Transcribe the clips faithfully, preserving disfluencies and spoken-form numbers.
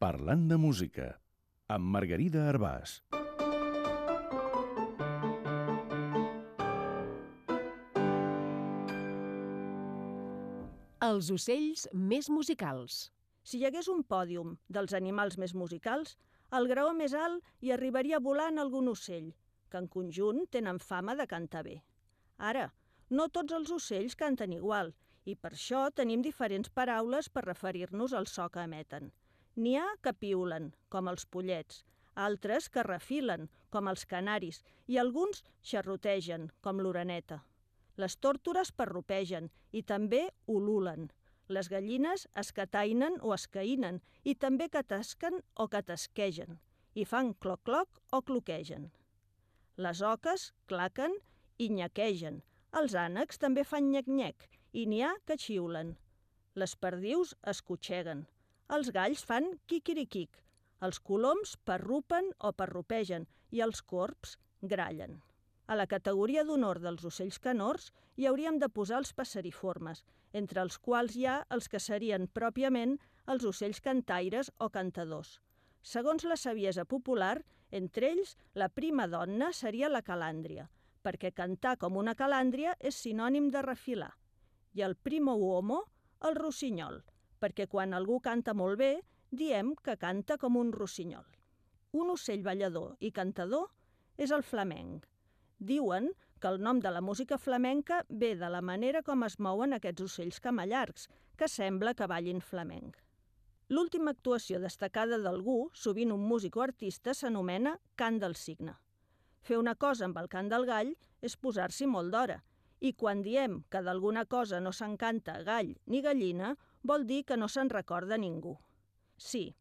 Parlant de música, amb Margarida Arbàs. Els ocells més musicals. Si hi hagués un pòdium dels animals més musicals, al graó més alt hi arribaria volant algun ocell, que en conjunt tenen fama de cantar bé. Ara, no tots els ocells canten igual, i per això tenim diferents paraules per referir-nos al so que emeten. N'hi ha que piulen, com els pollets, altres que refilen, com els canaris, i alguns xerrotegen, com l'oreneta. Les tórtores parrupegen i també ululen. Les gallines escatainen o escaïnen i també catasquen o catasquegen i fan cloc-cloc o cloquegen. Les oques claquen i nyaquegen. Els ànecs també fan nyec-nyec i n'hi ha que xiulen. Les perdius escotxeguen. Els galls fan quiquiriquic. Els coloms parrupen o parrupegen i els corbs grallen. A la categoria d'honor dels ocells canors hi hauríem de posar els passeriformes, entre els quals hi ha els que serien pròpiament els ocells cantaires o cantadors. Segons la saviesa popular, entre ells la prima donna seria la calàndria, perquè cantar com una calàndria és sinònim de refilar, i el primo uomo, el rossinyol, perquè quan algú canta molt bé, diem que canta com un rossinyol. Un ocell ballador i cantador és el flamenc. Diuen que el nom de la música flamenca ve de la manera com es mouen aquests ocells camallargs, que sembla que ballin flamenc. L'última actuació destacada d'algú, sovint un músic o artista, s'anomena cant del cigne. Fer una cosa amb el cant del gall és posar-s'hi molt d'hora, i quan diem que d'alguna cosa no se'n canta gall ni gallina, vol dir que no se'n recorda ningú. Sí,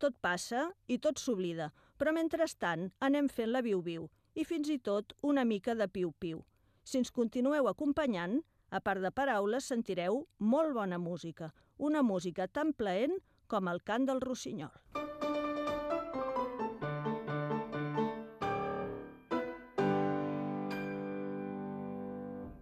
tot passa i tot s'oblida, però mentrestant anem fent la viu-viu, i fins i tot una mica de piu-piu. Si ens continueu acompanyant, a part de paraules, sentireu molt bona música, una música tan plaent com el cant del rossinyol.